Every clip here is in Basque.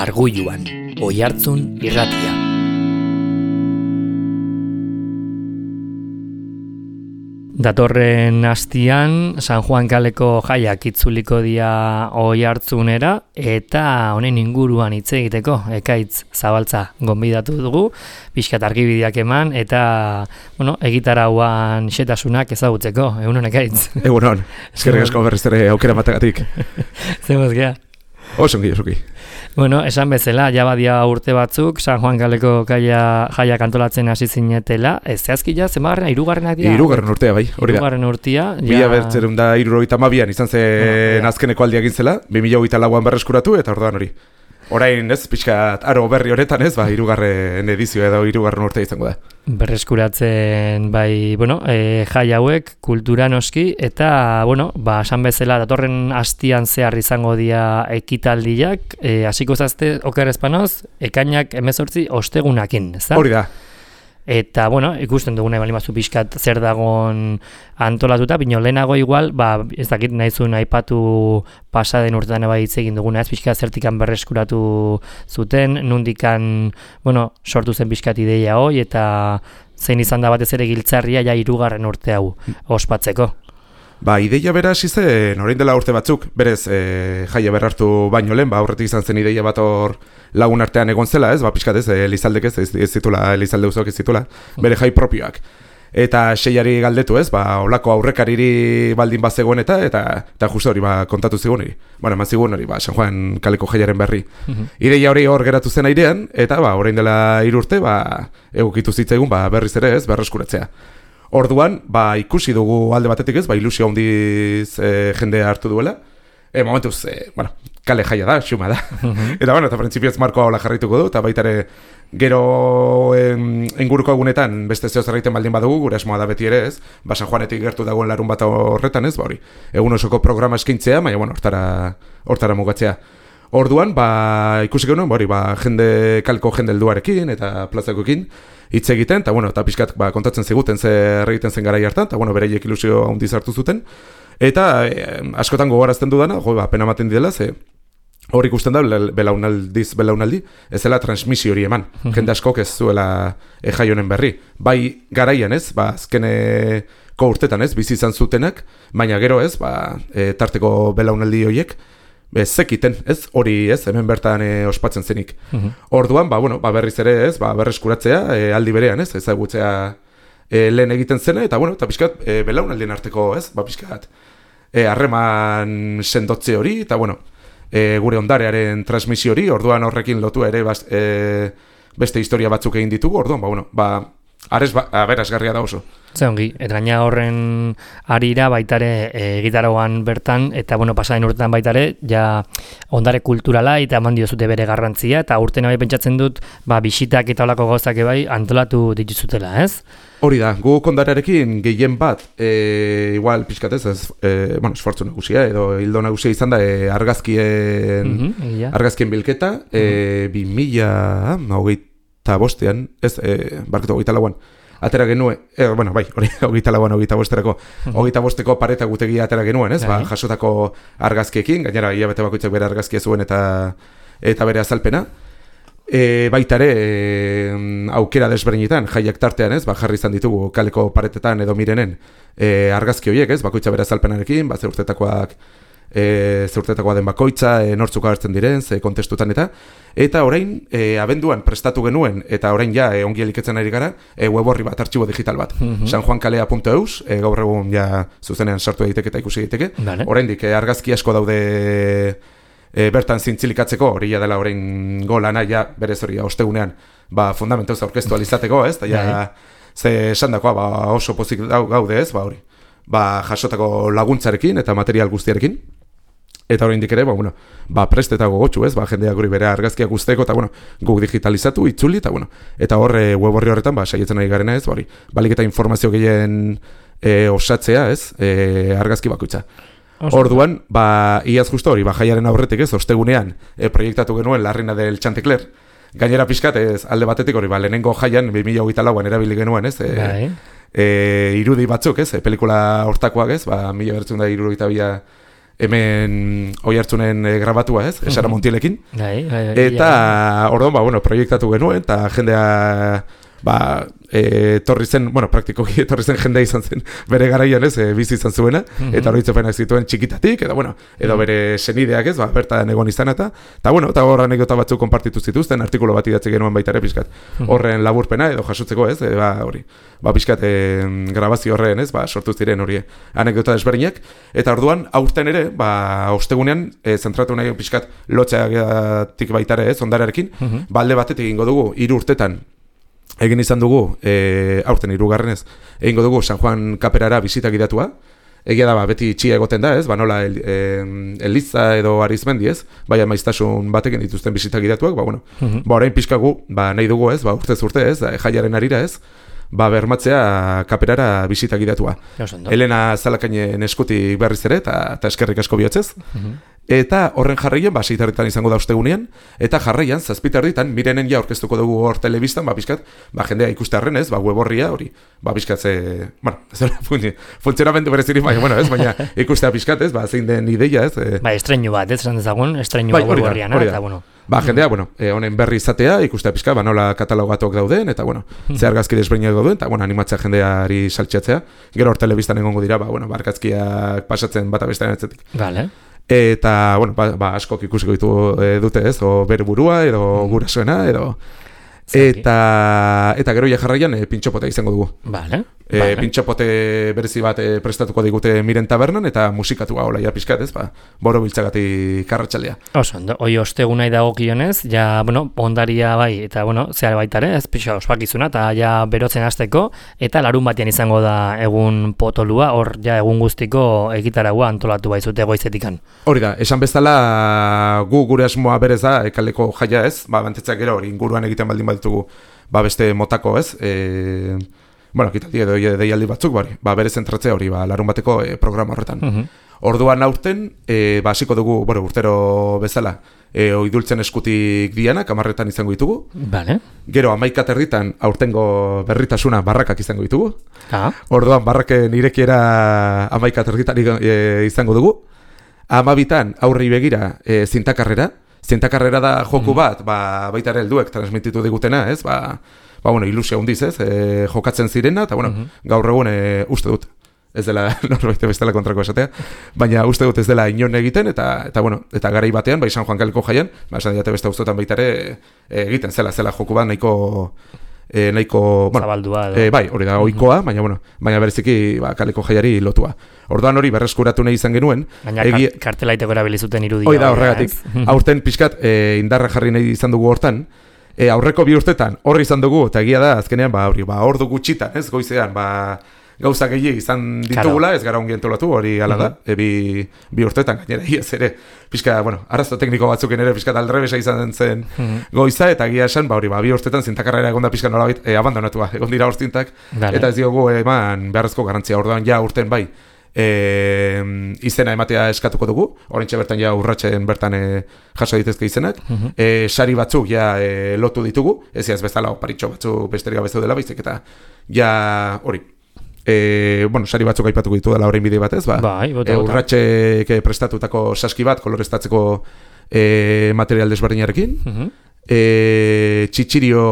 Argulluan, Oihartzun irratia. Datorren astian San Juan kaleko jaiak itzuliko dira Oihartzunera eta honen inguruan hitz egiteko Ekaitz Zabaltza gonbidatu dugu, pixkat argibideak eman eta egitarauan xetasunak ezagutzeko. Egunon Ekaitz. Egunon, eskerrik asko berriz ere aukera matagatik. Zemuz gea? Osongi. Esan bezala, jabadia urte batzuk, San Juan kaleko jaiak antolatzen hasi zinetela, ez zehazki zenbagarrena, hirugarrenak dira? Hirugarren urtea, bai, hori da. Hirugarren urtea. Mila bertzerun da 72an izan zen azkeneko aldia egin zela, 2024an berreskuratu eta orduan hori. Orain ez, pixkat aro berri honetan ez, hirugarren edizioa edo hirugarren urtea izango da. Berreskuratzen jai hauek kultura noski eta esan bezala datorren astian zehar izango dira ekitaldiak, hasiko zazte oker espanoz, ekainak 18 ostegunakin, ezta? Hori da. Eta, ikusten duguna bali mazu pixkat zer dagon antolatuta, bino lehenago igual, ez dakit nahizun aipatu pasaden urtean hitz egin duguna, ez pixkat zertikan berreskuratu zuten, nundikan, sortu zen pixkat ideia hoi, eta zein izan da batez ere giltzarria ja hirugarren urte hau ospatzeko. Ideia bera hasi zen, orain dela urte batzuk, berez jaia berrartu baino lehen, aurretik izan zen ideia bat hor lagun artean egon zela, ez, pixkat ez, Elizaldek ez zitula, Elizalde uzok ez zitula, bere jai propioak. Eta seiari galdetu ez, olako aurrekariri baldin bazegoen eta justu hori kontatu zigun hori. Eman zigun hori, San Juan kaleko jaiaren berri. Ideia hori hor geratu zen airean, eta orain dela 3 urte, egokitu zitzaigun berriz ere ez, berreskuratzea. Orduan, ikusi dugu alde batetik ez, ilusio handiz jendea hartu duela. Momentuz, kale jaia da, xuma da. Eta printzipioz markoa hola jarrituko du, eta baita ere gero inguruko egunetan beste zeo zerraiten baldin badugu, gure asmoa da beti ere ez, San Juanetik gertu dagoen larun bat horretan ez, egun osoko programa eskintzea, baina hortara mugatzea. Orduan, ikusi genuen, jende kalko jende helduarekin eta plazakoekin hitz egiten, eta pixkat kontatzen ziguten zer egiten zen garai hartan, eta bereiek ilusio handiz hartu zuten. Eta askotan gogorazten dudana, pena ematen didela, ze hor ikusten da belaunaldi, ez dela transmisio hori eman. Jende askok ez zuela jai honen berri. Bai garaian ez, azkeneko urtetan ez, bizi izan zutenak, baina gero ez, tarteko belaunaldi horiek, zekiten, ez, hori ez, hemen bertan ospatzen zenik. Orduan, berriz ere ez, berreskuratzea, aldi berean ez, ezagutzea lehen egiten zena, eta pixkat belaunaldien arteko ez, pixkat harreman sendotze hori, eta gure ondarearen transmisio hori, orduan horrekin lotu ere beste historia batzuk egin ditugu, orduan, aberasgarria da oso. Zeongi, eta gaina horren arira baitare egitaragoan bertan, eta pasaden urtetan baitare, ja ondare kulturala eta eman diozute bere garrantzia, eta urten bai pentsatzen dut, bisitak eta olako gauzak ebai antolatu dituzutela, ez? Hori da, gu kondarearekin gehien bat, igual pixkatez, esfortzu nagusia, edo hildo nagusia izan da, argazkien bilketa, 2025an, ez, barketu 24an, atera genuen, hori, 24an, 25erako, 25eko pareta gutegia atera genuen, ez, jasotako argazkiekin, gainera, hilabete bakoitzak bere argazkia zuen eta bere azalpena. Baitare, aukera desberdinetan, jaiak tartean, ez, jarri izan ditugu kaleko paretetan edo mirenen argazki horiek, ez, bakoitza bere azalpenarekin, zeurtetakoa den bakoitza, nortzuk agertzen diren, ze kontestutan eta orain, abenduan prestatu genuen, eta orain ja, ongi eliketzen ari gara, web horri bat, artxibo digital bat, sanjuankalea.eus, gaur egun ja zuzenean sartu daiteke eta ikusi daiteke, oraindik argazki asko daude bertan zintzilikatzeko, hori dela orain golana, berez hori ostegunean, fundamentoz aurkeztu alizateko, ez, eta ze esandakoa oso pozik gaude, ez, hori, jasotako laguntzarekin eta material guztiarekin, eta oraindik ere, prest eta gogotxu, ez, jendeak hori bere argazkiak guzteko, eta guk digitalizatu, itzuli, eta hor web horri horretan, saietzen ari garena, ez, balik eta informazio gehien osatzea, ez, argazki bakoitza. Orduan, iaz justo hori, jaiaren aurretik ez, ostegunean proiektatu genuen Larrina del Chanticleer. Gainera pixkat, alde batetik hori, lehenengo jaian, 2024an erabili genuen, ez, irudi batzuk, ez, pelikula hortakoak, ez, 1972 hemen Oiartzunen grabatua, ez? Esara Montielekin. Eta orduan, bueno, proiektatu genuen, eta jendea etorri zen, praktikoki etorri zen jendea izan zen bere garaian, ez, bizi izan zuena, eta oroitzapenak zituen txikitatik, edo bere senideak, ez, bertan egon izan eta hor anekdota batzuk konpartitu zituzten, artikulu bat idatzi genuen baita ere pixkat, horren laburpena edo jasotzeko, ez, hori, pixkat grabazio horren, ez, sortu ziren hori anekdota desberdinak, eta orduan, aurten ere, ostegunean, zentratu nahi pixkat lotxeagatik baita ere, ez, ondararekin, alde batetik egingo dugu 3 urtetan egin izan dugu, aurten 3. Egingo dugu San Juan kaperara bisita gidatua. Egia da, beti txia egoten da, ez? Nola Eliza edo Arizmendi, ez? Baina maiztasun batekin dituzten bisita gidatuak, orain pixkagu, nahi dugu, ez? Urtez urte, ez? Jaiaren arira, ez? Bermatzea kaperara bisita gidatua. Elena Zalakainen eskutik berriz ere, eta eskerrik asko bihotzez. Eta horren jarraian, 6 izango da ostegunean, eta jarraian, 7 Mirenen ja orkestuko dugu hor telebistan, pixkat, jendea ikustearren, ez, web horria hori, pixkat funtzionamendu berezirik, baina ikustea pixkat, ez, zein den ideia, ez. Estreinu bat, ez, dezagun, estreinu web horrian, eta, jendea, honen berri izatea, ikustea pixkat, nola katalogatuak dauden, eta, ze argazki desberdinak dauden, eta, animatzea jendeari saltxatzea, gero hor telebistan egongo dira, argazkiak pasatzen bata bestean etzetik. Eta, askok ikusiko dute, ez, o bere burua, edo gurasoena, edo... Eta gero jarraian pintxopotea izango dugu. Pintxopote berezi bat prestatuko digute Miren tabernan, eta musikatua hola ja pixkat, ez, boro biltzagatik karratxaldea. Hoi osteguna idagokionez, ondaria bai, eta, zehar baitare, ez pixa ospakizuna, eta ja berotzen hasteko, eta larun batean izango da egun potolua, hor ja egun guztiko egitaragua antolatu baizute goizetikan. Hori da, esan bezala gu gure asmoa berez da, kaleko jaia, ez, bantetzak gero hori inguruan egiten baldin baditugu, beste motako, ez, kitaldi edo deialdi batzuk, bere zentratzea hori, larun bateko programa horretan. Orduan aurten, hasiko dugu, urtero bezala, oidultzen eskutik dianak, 10 izango ditugu. Gero 11 aurtengo berritasuna barrakak izango ditugu. Orduan barraken irekiera 11 izango dugu. 12 aurri begira zintakarrera. Zintakarrera da joku bat, baita ere helduek transmititu digutena, ez? Ilusia hundiz, ez? Jokatzen zirena, eta gaur egun uste dut. Ez dela norbait bestela kontrako esatea, baina uste dut ez dela inon egiten, eta garai batean, San Juan kaleko jaian, esan diate beste guztotan baita ere egiten zela joku bat nahiko zabaldua hori da ohikoa, baina bereziki kaleko jaiari lotua. Orduan hori berreskuratu nahi izan genuen, baina kartelaiteko erabilizuten irudia. Hoi da horregatik. Aurten pixkat indarra jarri nahi izan dugu hortan, aurreko 2 urtetan horri izan dugu, eta egia da azkenean ordu gutxitan, ez, goizean, gauza gehiago izan ditugula, ez gara ongi entolatu, hori ala da, bi urtetan gainera, iaz ere, pixka, arazo tekniko batzuken ere, pixka aldrebesa izan zen goiza, eta egia esan, bi urtetan zintakarrera egon da pixka nolabait abandonatua, egon dira horzintak, eta ez diogu eman beharrezko garantzia, orduan ja urten bai, izena ematea eskatuko dugu, oraintxe bertan ja urratsen bertan jaso ditezke izenak, sari batzuk ja lotu ditugu, ez bezala oparitxo batzuk besterik gabezu dela baizik, eta ja hori, sari batzuk aipatuko ditu dela orain bide batez, urratxek prestatutako saski bat koloreztatzeko material desberdinarekin, txitxirio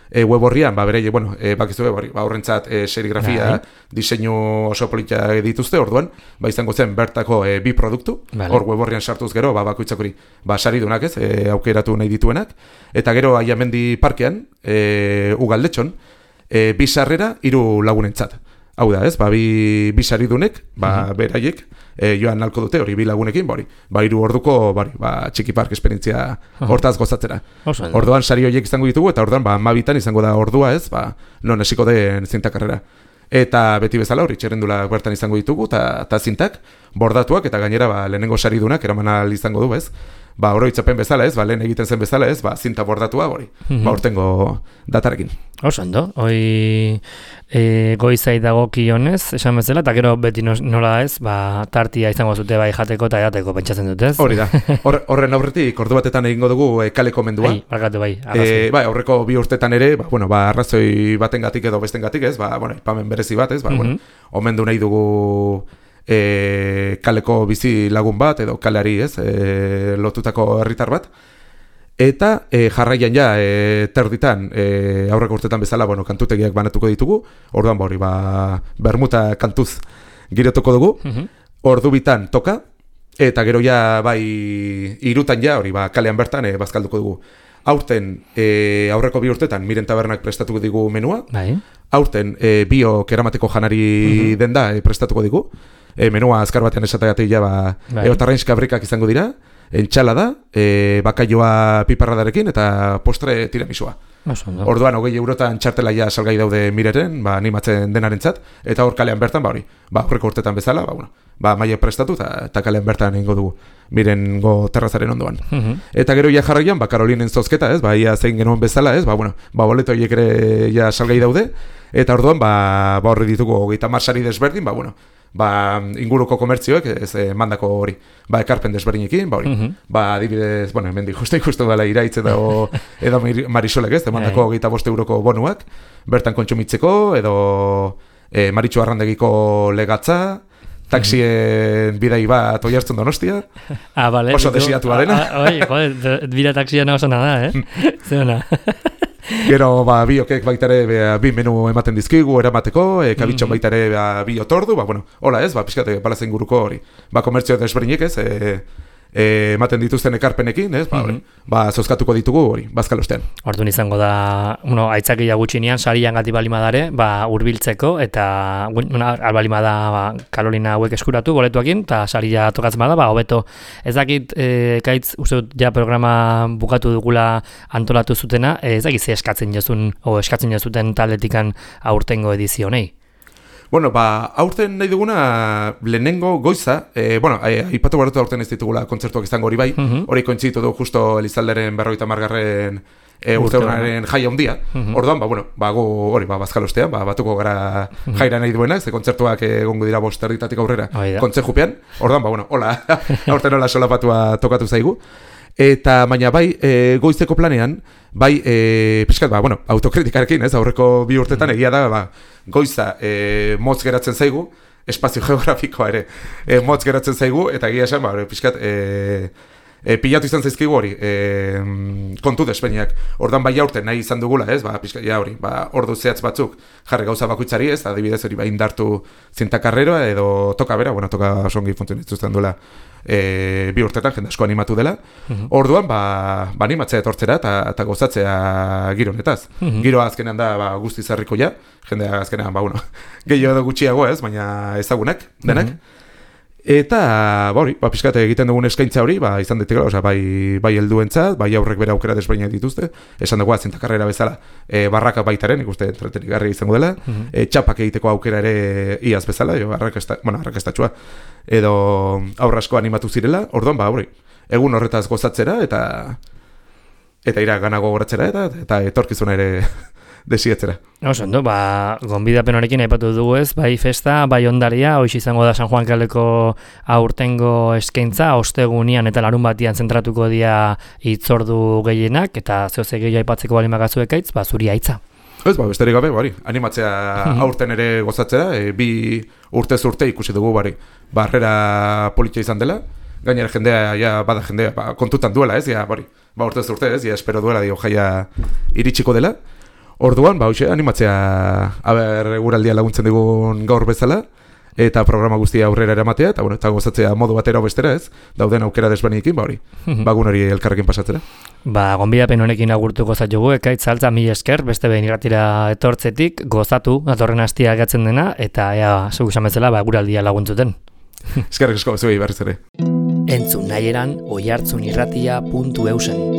web horrian, bakizu horrentzat serigrafia, diseinu oso politia dituzte, orduan, izango zen bertako 2 produktu, hor web horrian sartuz gero, bakoitzak hori, saridunak ez, aukeratu nahi dituenak, eta gero Aiamendi parkean, Ugaldetxon, 2 sarrera 3 lagunentzat. Hau da, ez, bi saridunek, beraiek, joan nalko dute, hori 2 lagunekin, 3 orduko, txiki park esperientzia hortaz gozatzera. Orduan sari horiek izango ditugu, eta orduan, 12 izango da ordua, ez, non esiko den zintakarrera. Eta beti bezala hori txerrendulak bertan izango ditugu, eta zintak, bordatuak, eta gainera, lehenengo saridunak, eraman ahal izango du, ez. Oroitzapen bezala, ez, lehen egiten zen bezala, ez, zinta bordatua hori, urtengo datarekin. Ondo, hoi goizai dagokionez, esan bezala, eta gero beti nola ez, tartia izango zute bai jateko eta edateko pentsatzen dut, ez? Hori da, horren aurretik ordu batetan egingo dugu kaleko mendua. Bai, aurreko 2 urtetan ere, arrazoi batengatik edo bestengatik, ez, ipamen berezi bat, ez, omendu nahi dugu kaleko bizi lagun bat, edo kaleari lotutako herritar bat. Eta jarraian ja, terditan, aurreko urtetan bezala, kantutegiak banatuko ditugu, orduan bermuta kantuz girotuko dugu, ordu bitan toka, eta gero ja, irutan ja, kalean bertan bazkalduko dugu. Aurten, aurreko 2 urtetan, Miren Tabernak prestatuko digu menua, aurten, biok eramateko janari denda prestatuko digu, menua azkar batean esatagatik ja, eotarrainska brikak izango dira, entxalada, bakaioa piparradarekin eta postre tiramisua. Orduan, 20 eurotan txartela ja salgai daude Mireren, animatzen denarentzat, eta hor kalean bertan, aurreko urtetan bezala, maile prestatu eta kalean bertan ingo dugu Mirengo terrazaren ondoan. Eta gero ja jarraian, Karolinen zozketa, ia zein genuen bezala, boleto horiek ere ja salgai daude, eta orduan, horri ditugu 30 sari desberdin, inguruko komertzioek mandako hori, ekarpen desberdinekin, adibidez, hemen justu dela Iraitz edo Marisolek mandako 25 euroko bonuak, bertan kontsumitzeko, edo Maritxu Arrandegiko legatza, taksien bidai bat oihartzun Donostia, oso desiatu arena. Bira taksia oso nada, zeona. Gero, biokek baitare bi menu ematen dizkigu eramateko, kabitxon baitare bi otordu, hola pixkate balazen guruko hori. Komertzio desberdinek ematen dituzten ekarpenekin, zozkatuko ditugu hori, bazkalostean. Orduan izango da, aitzakia gutxinean, sarian gati balimadare, hurbiltzeko, eta albalimada Karolina hauek eskuratu, boletuakin, eta saria tokatzen bada, hobeto. Ez dakit, kaitz, uste dut, ja programa bukatu dugula antolatu zutena, ez dakit ze eskatzen jozuten taldetikan aurtengo edizionei. Aurten nahi duguna lehenengo goiza, aipatu baratu aurten ez ditugula kontzertuak izango hori bai, hori kointzitu du justo Elizalderen 50. urteurrenaren jaia handia, orduan, gu hori, bazkalostean, batuko gara jaira nahi duenak, ze kontzertuak egongo dira 5 erditatik aurrera kontzejupean, orduan, hola, aurten hola solapatua tokatu zaigu. Eta baina goizeko planean, pixkat, autokritikarekin, aurreko 2 urtetan egia da, goiza motz geratzen zaigu, espazio geografikoa ere motz geratzen zaigu, eta egia esan, pixkat, pilatu izan zaizkigu hori, kontu despeiniak. Ordan aurten nahi izan dugula, pixkat, hori, ordu zehatz batzuk jarri gauza bakoitzari, adibidez hori indartu zintakarreroa edo toka bera, toka songi funtzionetzuzten duela, 2 urtetan jende asko animatu dela. Orduan, animatzea etortzera eta gozatzea giro honetaz. Giroa azkenean da guzti zarrikoia, jendea azkenean, gehiago edo gutxiago baina ezagunak, denak. Eta, pixkate egiten dugun eskaintza hori, izan ditekela, bai helduentzat, bai aurrek bera aukera desberdinak dituzte, esan dugu zintakarrera bezala, barraka baitaren, ikuste entretenigarria izango dela, txapak egiteko aukera ere iaz bezala, arrakastatxua, edo aurrasko animatu zirela, orduan, egun horretaz gozatzera, eta ira ganago goratzera, eta etorkizuna ere desietzera. Ondo, gonbidapen honekin aipatu dugu bai festa, bai ondaria, hoiz izango da San Juan Kaleko aurtengo eskaintza, ostegunian eta larun batian zentratuko dira hitzordu gehienak, eta zehoze gehiago aipatzeko bali magazuek aitz, zuri aitza. Besterik gabe, animatzea aurten ere gozatzera, 2 urtez urte ikusi dugu, barrera politia izan dela, gainera jendea, bada jendea, kontutan duela, urtez urte, espero duela, jaia iritsiko dela. Orduan, animatzea guraldia laguntzen digun gaur bezala, eta programa guztia aurrera eramatea, eta gozatzea modu batera bestera dauden aukera desberdinekin, bagun hori elkarrekin pasatzera. Gonbidapen honekin agurtuko zaitugu, ekaitz altza 1000 esker, beste behin irratira etortzetik, gozatu, datorren hastia gatzen dena, eta zuk esan bezala, guraldia laguntzuten. Eskerrik asko, zuei berriz ere. Entzun nahi eran, oihartzunirratia.eusen.